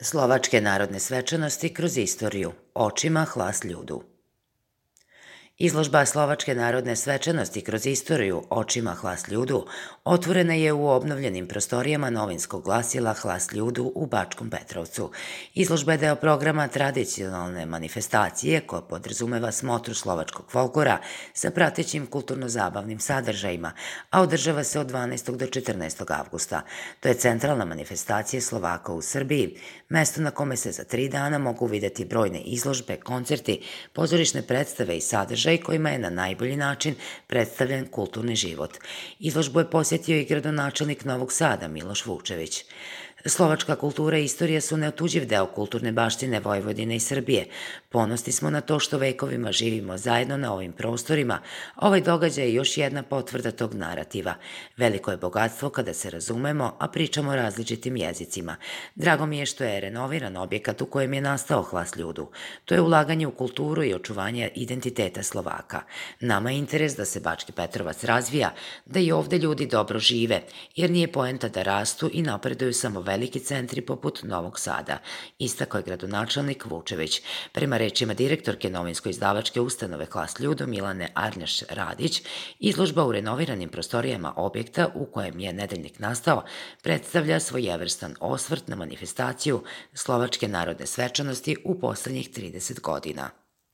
Slovačke narodne svečanosti kroz istoriju, očima hlas ljudu. Izložba Slovačke narodne svečanosti kroz istoriju očima hlas ljudu otvorena je u obnovljenim prostorijama novinskog glasila Hlas ljudu u Bačkom Petrovcu. Izložba je deo programa tradicionalne manifestacije koja podrazumeva smotru slovačkog folklora sa pratećim kulturno-zabavnim sadržajima, a održava se od 12. do 14. avgusta. To je centralna manifestacija Slovaka u Srbiji, mesto na kome se za 3 dana mogu videti brojne izložbe, koncerti, pozorišne predstave i sadržaj kojima je na najbolji način predstavljen kulturni život. Izložbu je posjetio i gradonačelnik Novog Sada Miloš Vučević. Slovačka kultura i istorija su neotuđiv deo kulturne baštine Vojvodine i Srbije. Ponosni smo na to što vekovima živimo zajedno na ovim prostorima. Ovaj događaj je još jedna potvrda tog narativa. Veliko je bogatstvo kada se razumemo, a pričamo različitim jezicima. Drago mi je što je renoviran objekat u kojem je nastao Hlas ljudu. To je ulaganje u kulturu i očuvanje identiteta Slovaka. Nama je interes da se Bački Petrovac razvija, da i ovde ljudi dobro žive, jer nije poenta da rastu i napreduju samo veliki centri poput Novog Sada, istakao je gradonačelnik Vučević. Prema rečima direktorke novinsko-izdavačke ustanove Hlas ljudu Milane Arnjaš Radić, izložba u renoviranim prostorijama objekta u kojem je nedeljnik nastao predstavlja svojevrstan osvrt na manifestaciju Slovačke narodne svečanosti u poslednjih 30 godina.